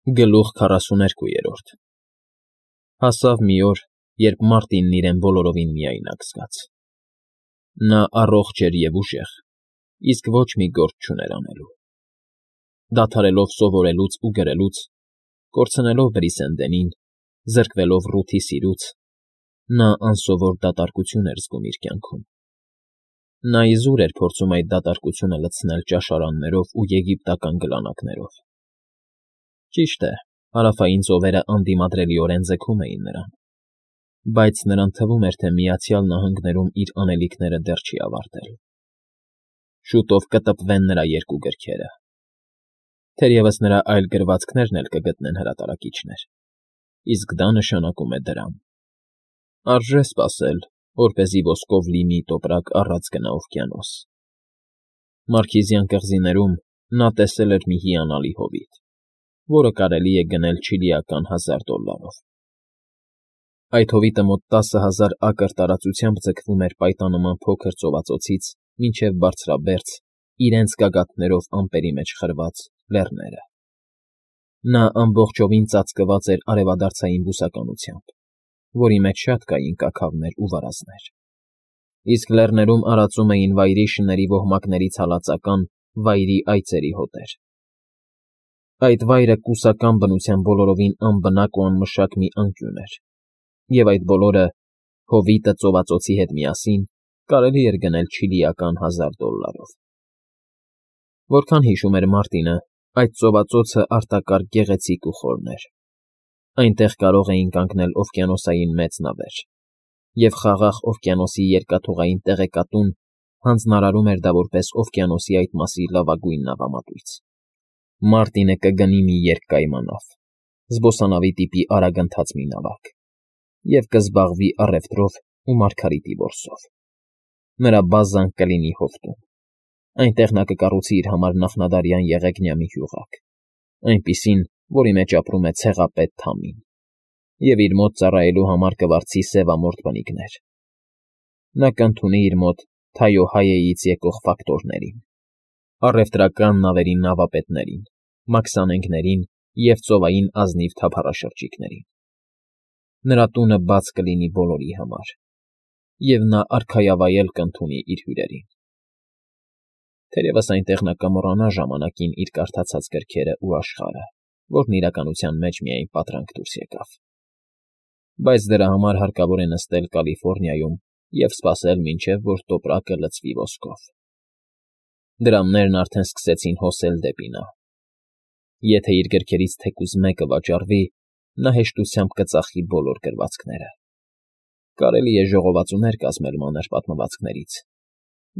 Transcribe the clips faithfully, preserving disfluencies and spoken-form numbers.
Գլուխ քառասուներկուերորդ Հասավ մի օր, երբ Մարտինն իրեն բոլորովին միայնակ զգաց. նա առողջ էր և ուժեղ, իսկ ոչ մի գործ չուներ անելու. դադարելով սովորելուց ու գրելուց, կորցնելով Բրիսենդենին, զրկվելով Ռութի սիրուց, նա անսովոր դատարկություն էր զգում իր կյանքում. նա իզուր էր փորձում այդ դատարկությունը լցնել ճաշարաններով ու եգիպտական գլանակներով. Ճիշտ է, հարավային ծովերը անդիմադրելիորեն ձգում էին նրան, բայց նրան թվում էր, թե Միացյալ Նահանգներում իր անելիքները դեռ չի ավարտել. շուտով կտպվեն նրա երկու գրքերը, թերևս նրա այլ գրվածքներն էլ կգտնեն հրատարակիչներ, իսկ դա նշանակում է դրամ. արժե սպասել, որպեսզի ոսկով լի մի տոպրակ առած գնա օվկիանոս. Մարքիզյան կղզիներում նա տեսել էր մի հիանալի հովիտ, որը կարելի է գնել չիլիական հազար դոլլարով. այդ հովիտը մոտ տասը հազար ակր տարածությամբ ձգվում էր պայտանման փոքր ծովածոցից մինչև բարձրաբերձ, իրենց գագաթներով ամպերի մեջ խրված լեռները. նա ամբողջովին ծածկված էր արևադարձային բուսականությամբ, որի մեջ շատ կային կաքավներ ու վարազներ, իսկ լեռներում արածում էին վայրի շների ոհմակներից հալածական վայրի այծերի հոտեր. Այդ վայրը կուսական բնության բոլորովին անբնակ ու անմշակ մի անկյուն էր, և այդ բոլորը, հովիտը ծովածոցի հետ միասին, կարելի էր գնել չիլիական հազար դոլլարով. Որքան հիշում էր Մարտինը, այդ ծովածոցը արտակարգ գեղեցիկ ու խորն էր. այնտեղ կարող էին կանգնել օվկիանոսային մեծ նավեր, և խաղաղ օվկիանոսի երկաթուղային տեղեկատուն հանձնարարում էր դա որպես օվկիանոսի այդ մասի լավագույն նավամատույց. Մարտինը կգնի մի երկկայմանավ, զբոսանավի տիպի արագընթաց մի նավակ, և կզբաղվի առևտրով ու մարգարիտի որսով. նրա բազան կլինի հովտում, այնտեղ նա կկառուցի իր համար նախնադարյան եղեգնյա մի հյուղակ, այնպիսին, որի մեջ ապրում է ցեղապետ Թամին, և իր մոտ ծառայելու համար կվարձի սևամորթ բնիկներ. նա կընդունի իր մոտ Թայոհայեից եկող ֆակտորներին, առևտրական նավերի նավապետներին, մաքսանենգներին և ծովային ազնիվ թափառաշրջիկներին. նրա տունը բաց կլինի բոլորի համար, և նա արքայավայել կընդունի իր հյուրերին. թերևս այնտեղ նա կմոռանա ժամանակին իր կարդացած գրքերը ու աշխարհը, որն իրականության մեջ միայն պատրանք դուրս եկավ, բայց դրա համար հարկավոր է նստել Կալիֆոռնիայում և սպասել, մինչև որ տոպրակը լցվի ոսկով. դրամներն արդեն սկսեցին հոսել դեպի նա. եթե իր գրքերից թեկուզ մեկը վաճառվի, նա հեշտությամբ կծախի բոլոր գրվածքները. կարելի է ժողովածուներ կազմել մանր պատմվածքներից,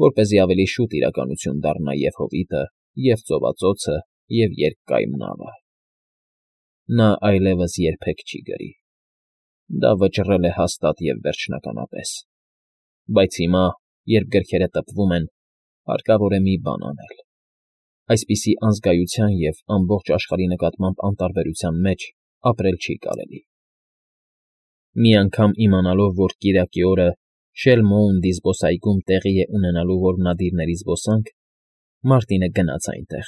որպեսզի ավելի շուտ իրականություն դառնա և հովիտը, և ծովածոցը, և երկկայմ նավը. նա այլևս երբեք չի գրի. դա վճռել է հաստատ և վերջնականապես, բայց հիմա, երբ գրքերը տպվում են, հարկավոր է մի բան անել. այսպիսի անզգայության և ամբողջ աշխարհի նկատմամբ անտարբերության մեջ ապրել չի կարելի. Մի անգամ իմանալով, որ կիրակի օրը Շելմոունդի զբոսայգում տեղի է ունենալու որմնադիրների զբոսանք, Մարտինը գնաց այնտեղ.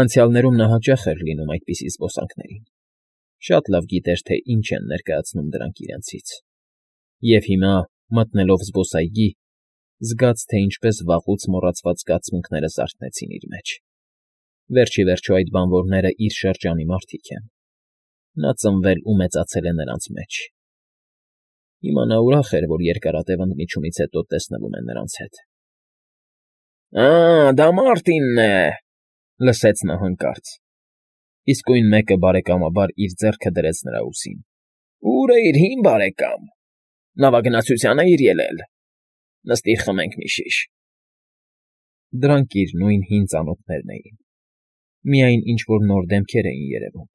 անցյալներում նա հաճախ էր լինում այդպիսի զբոսանքներին, շատ լավ գիտեր, թե ինչ են ներկայացնում դրանք իրենցից, և հիմա, մտնելով զբոսայգի, զգաց, թե ինչպես վաղուց մոռացված զգացմունքները զարթնեցին իր մեջ. վերջ ի վերջո այդ բանվորները իր շրջանի մարդիկ են, նա ծնվել ու մեծացել է նրանց մեջ. հիմա նա ուրախ էր, որ երկարատև ընդմիջումից հետո տեսնվում է նրանց հետ. Ա՜, դա Մարտինն է,֊ լսեց նա հանկարծ, իսկույն մեկը բարեկամաբար իր ձեռքը դրեց նրա ուսին։ Ո՞ւր է իր հին բարեկամ, նավագնացության է իր ելել, նստիր խմենք մի շիշ։ Դրանք իր նույն հին ծանոթներն էին, միայն ինչ֊որ նոր դեմքեր էին երևում,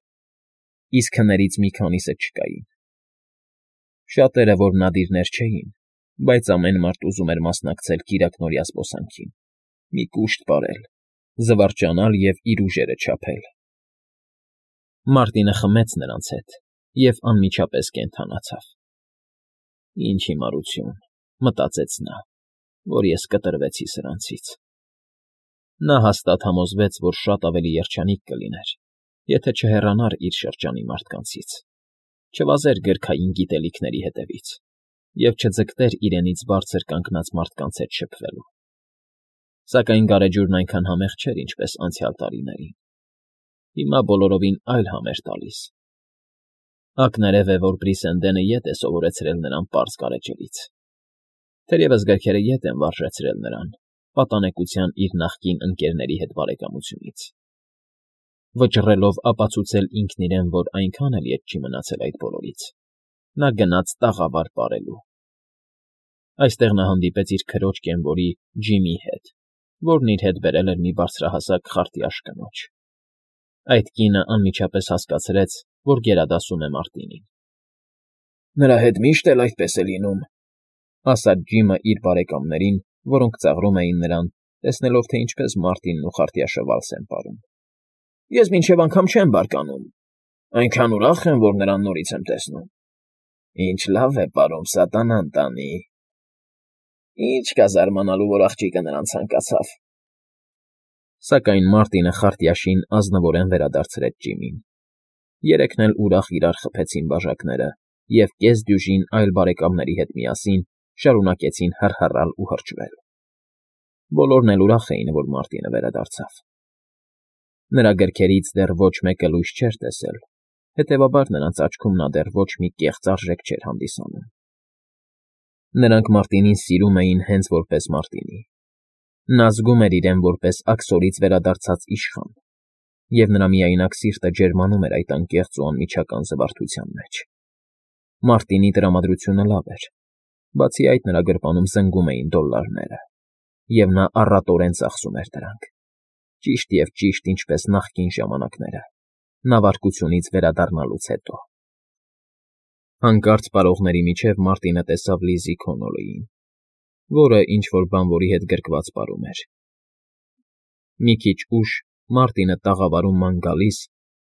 իսկ հներից մի քանիսը չկային. շատերը որմնադիրներ չէին, բայց ամեն մարդ ուզում էր մասնակցել կիրակնօրյա զբոսանքին, մի կուշտ պարել, զվարճանալ և իր ուժերը չափել։ Մարտինը խմեց նրանց հետ և անմիջապես կենդանացավ. «Ինչ հիմարություն,֊ մտածեց նա,֊ որ ես կտրվեցի սրանցից»։ Նա հաստատ համոզվեց, որ շատ ավելի երջանիկ կլիներ, Եթե չհեռանար իր շրջանի մարդկանցից, չվազեր գրքային գիտելիքների հետևից և չձգտեր իրենից բարձր կանգնած մարդկանց հետ շփվելու։ Սակայն գարեջուրն այնքան համեղ չէր, ինչպես անցյալ տարիներին. հիմա բոլորովին այլ համ էր տալիս։ Ակներև է, որ Բրիսենդենը ետ է սովորեցրել նրան պարզ գարեջրից, թերևս գրքերը ետ են վարժեցրել նրան պատանեկության իր նախկին ընկերների հետ բարեկամությունից, վճռելով ապացուցել ինքն իրեն, որ այնքան էլ ետ չի մնացել այդ բոլորից, նա գնաց տաղավար պարելու։ Այստեղ նա հանդիպեց իր քրոջ կենվորի Ջիմի հետ, որն իր հետ բերել էր մի բարձրահասակ խարտյաշ կնոջ։ Այդ կինը անմիջապես հասկացրեց, որ գերադասում է Մարտինին։ Նրա հետ միշտ էլ այդպես է լինում, ասաց Ջիմը իր բարեկամներին, որոնք ծաղրում էին նրան, տեսնելով, թե ինչպես Մարտինն ու խարտյաշը վալս են պարում։ Ես մինչև անգամ չեմ բարկանում, այնքան ուրախ եմ, որ նրան նորից եմ տեսնում։ Ինչ լավ է պարում սատանան տանի։ Ինչ կա զարմանալու, որ աղջիկը նրան ցանկացավ։ Սակայն Մարտինը խարտյաշին ազնվորեն վերադարձրեց Ջիմին։ Երեքն էլ ուրախ իրար խփեցին բաժակները և կես֊դյուժին այլ բարեկամների հետ միասին շարունակեցին հռհռալ ու հրճվել։ Բոլորն էլ ուրախ էին, որ Մարտինը վերադարձավ։ Նրա գրքերից դեռ ոչ մեկը լույս չէր տեսել, հետևաբար նրանց աչքում նա դեռ ոչ մի կեղծ արժեք չէր հանդիսանում։ Նրանք Մարտինին սիրում էին հենց որպես Մարտինի։ Նա զգում էր իրեն որպես աքսորից վերադարձած իշխան, և նրա միայնակ սիրտը ջերմանում էր այդ անկեղծ ու անմիջական զվարթության մեջ։ Մարտինի տրամադրությունը լավ էր, բացի այդ նրա գրպանում զնգում էին դոլլարները, և նա առատորեն ծախսում էր դրանք, ճիշտ և ճիշտ ինչպես նախկին ժամանակները, նավարկությունից վերադառնալուց հետո։ Հանկարծ պարողների միջև Մարտինը տեսավ Լիզի Քոնոլիին, որը ինչ֊որ բանվորի հետ գրկված պարում էր։ Մի քիչ ուշ Մարտինը տաղավարում ման գալիս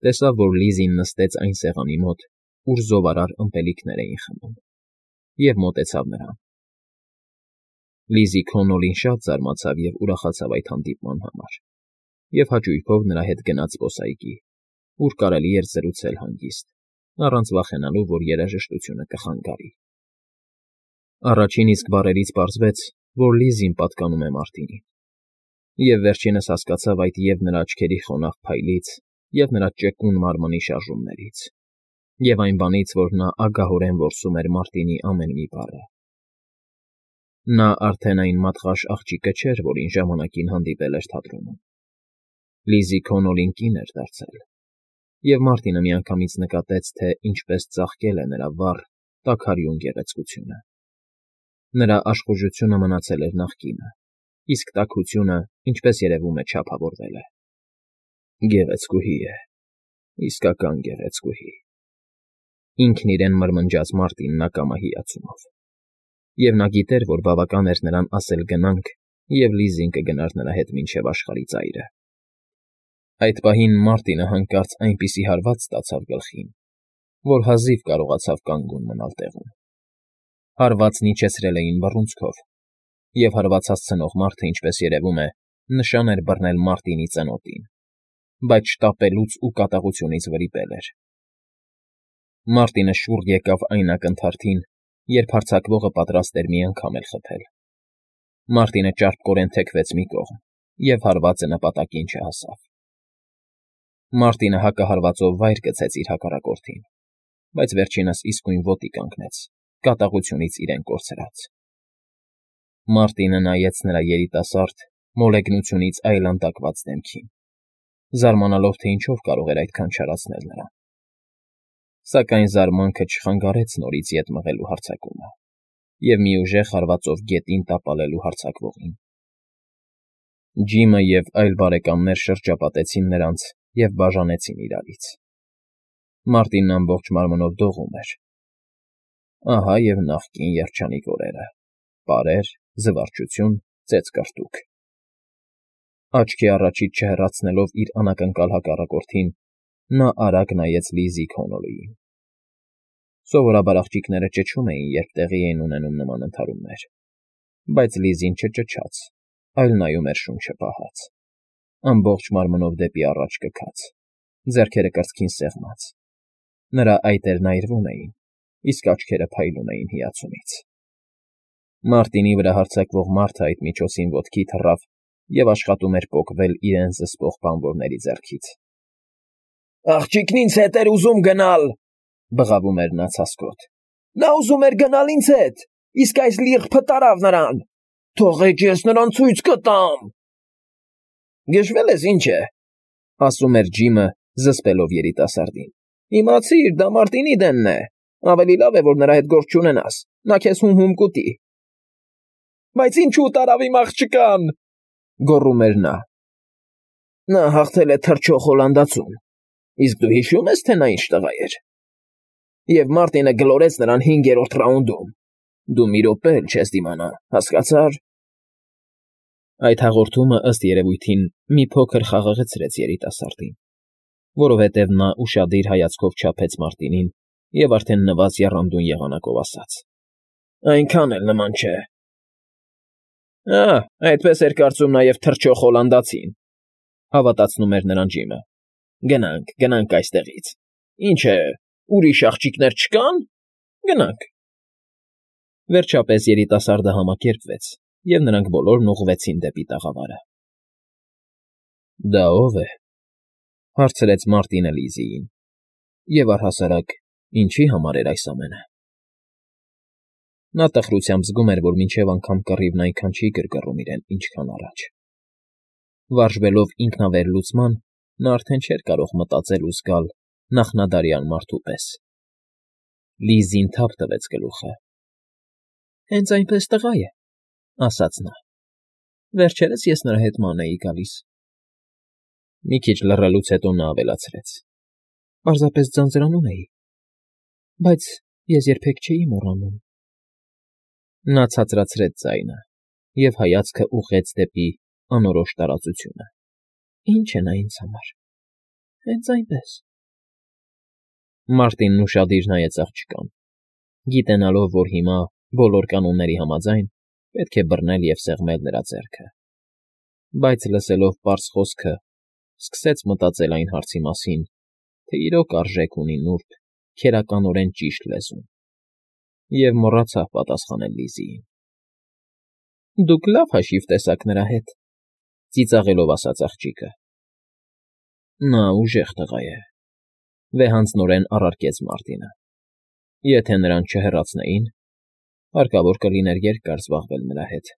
տեսավ, որ Լիզին նստեց այն սեղանի մոտ, ուր զովարար ըմպելիքներ էին խմում, և մոտեցավ նրան։ Լիզի Քոնոլին շատ զարմացավ և ուրախացավ այդ հանդիպման համար, և հաճույքով նրա հետ գնաց զբոսայգի, ուր կարելի էր զրուցել հանգիստ, առանց վախենալու, որ երաժշտությունը կխանգարի։ Առաջին իսկ բառերից պարզվեց, որ Լիզին պատկանում է Մարտինին, և վերջինս հասկացավ այդ և նրա աչքերի խոնավ փայլից, և նրա ճկուն մարմնի շարժումներից, և այն բանից, որ նա ագահորեն որսում էր Մարտինի ամեն մի բառը։ Նա արդեն այն մատղաշ աղջիկը չէր, որին ժամանակին հանդիպել էր թատրոնում։ Լիզի Քոնոլին կին էր դարձել, և Մարտինը միանգամից նկատեց, թե ինչպես ծաղկել է նրա վառ, տաքարյուն գեղեցկությունը։ Նրա աշխուժությունը մնացել էր նախկինը, իսկ տաքությունը, ինչպես երևում է, չափավորվել է։ Գեղեցկուհի է, իսկական գեղեցկուհի, ինքն իրեն մրմնջաց Մարտինն ակամա հիացումով, և նա գիտեր, որ բավական էր նրան ասել գնանք, և Լիզին կգնար նրա հետ մինչև աշխարհի ծայրը։ Այդ պահին Մարտինը հանկարծ այնպիսի հարված ստացավ գլխին, որ հազիվ կարողացավ կանգուն մնալ տեղում։ Հարվածն իջեցրել էին բռունցքով, և հարված հասցնող մարդը, ինչպես երևում է, նշան էր բռնել Մարտինի ծնոտին, բայց շտապելուց ու կատաղությունից վրիպել էր։ Մարտինը շուռ եկավ այն ակնթարթին, երբ հարձակվողը պատրաստ էր մի անգամ էլ խփել։ Մարտինը ճարպկորեն թեքվեց մի կողմ, և հարվածը նպատակին չհասավ։ Մարտինը հակահարվածով վայր գցեց իր հակառակորդին, բայց վերջինս իսկույն ոտի կանգնեց, կատաղությունից իրեն կորցրած։ Մարտինը նայեց նրա երիտասարդ, մոլեգնությունից այլանդակված դեմքին, զարմանալով, թե ինչով կարող էր այդքան չարացնել նրան։ Սակայն զարմանքը չխանգարեց նորից ետ մղելու հարձակումը և մի ուժեղ հարվածով գետին տապալելու հարձակվողին։ Ջիմը և այլ բարեկամներ շրջապատեցին նրանց և բաժանեցին իրարից։ Մարտինն ամբողջ մարմնով դողում էր։ Ահա և նախկին երջանիկ օրերը՝ պարեր, զվարճություն, ծեծկռտուք։ Աչքի առաջից չհեռացնելով իր անակնկալ հակառակորդին, նա արագ նայեց Լիզի Քոնոլիին։ Սովորաբար աղջիկները ճչում էին, երբ տեղի էին ունենում նման ընդհարումներ, բայց Լիզին չճչաց, այլ նայում էր շունչը պահած, ամբողջ մարմնով դեպի առաջ կքած, ձեռքերը կրծքին սեղմած. նրա այտերն այրվում էին, իսկ աչքերը փայլում էին հիացումից։ Մարտինի վրա հարձակվող մարդը այդ միջոցին ոտքի թռավ և աշխատում էր պոկվել իրեն զսպող բանվորների ձեռքից։ ֊ Աղջիկն ինձ հետ էր ուզում գնալ,֊ բղավում էր նա ցասկոտ,֊ նա ուզում էր գնալ ինձ հետ, իսկ այս լիռփը տարավ նրան, թողեք ես նրան ցույց կտամ… Գժվել ես, ինչ է,֊ ասում էր Ջիմը, զսպելով երիտասարդին,֊ իմացիր, դա Մարտինի դենն է, ավելի լավ է, որ նրա հետ գործ չունենաս, նա քեզ հում֊հում կուտի… Բայց ինչո՞ւ տարավ իմ աղջկան,֊ գոռում էր նա։ Նա հաղթել է թռչող հոլանդացուն, իսկ դու հիշո՞ւմ ես, թե նա ինչ տղա էր… Եվ Մարտինը գլորեց նրան հինգերորդ ռաունդում, դու մի րոպե էլ չես դիմանա, հասկացա՞ր… Այդ հաղորդումը, ըստ երևույթին, մի փոքր խաղաղեցրեց երիտասարդին, որովհետև նա ուշադիր հայացքով չափեց Մարտինին և արդեն նվազ եռանդուն եղանակով ասաց. այնքան էլ նման չէ… Ա՜, այդպես էր կարծում նաև թռչող հոլանդացին,֊ հավատացնում էր նրան Ջիմը։ Գնանք, գնանք այստեղից… Ինչ է, ուրիշ աղջիկներ չկա՞ն… Գնանք… Վերջապես երիտասարդը համակերպվեց, և նրանք բոլորն ուղղվեցին դեպի տաղավարը։ ֊ Դա ո՞վ է,֊ հարցրեց Մարտինը Լիզիին,֊ և առհասարակ ինչի համար էր այս ամենը… Նա տխրությամբ զգում էր, որ մինչև անգամ կռիվն այնքան չի գրգռում իրեն, ինչքան առաջ… Վարժվելով ինքնավերլուծման, նա արդեն չէր կարող մտածել ու զգալ նախնադարյան մարդու պես… Լիզին թափ տվեց գլուխը։ ֊ Հենց այնպես տղա է,֊ ասաց նա։֊ Վերջերս ես նրա հետ ման էի գալիս… Մի քիչ լռելուց հետո նա ավելացրեց. պարզապես ձանձրանում էի, բայց ես երբեք չէի մոռանում… Նա ցածրացրեց ձայնը և հայացքը ուղղեց դեպի անորոշ տարածությունը։ Ինչ է նա ինձ համար… հենց այնպես… Մարտինն ուշադիր նայեց աղջկան, գիտենալով, որ հիմա, բոլոր կանոնների համաձայն, պետք է բռնել և սեղմել նրա ձեռքը, բայց լսելով պարզ խոսքը, սկսեց մտածել այն հարցի մասին, թե իրոք արժեք ունի նուրբ, քերականորեն ճիշտ լեզուն, և մոռացավ պատասխանել Լիզիին։ ֊ Դուք լավ հաշիվ տեսաք նրա հետ,֊ ծիծաղելով ասաց աղջիկը։ ֊ Նա ուժեղ տղա է,֊ վեհանձնորեն առարկեց Մարտինը։ Եթե նրան չհեռացնեին, հարկավոր կլիներ երկար զբաղվել նրա հետ։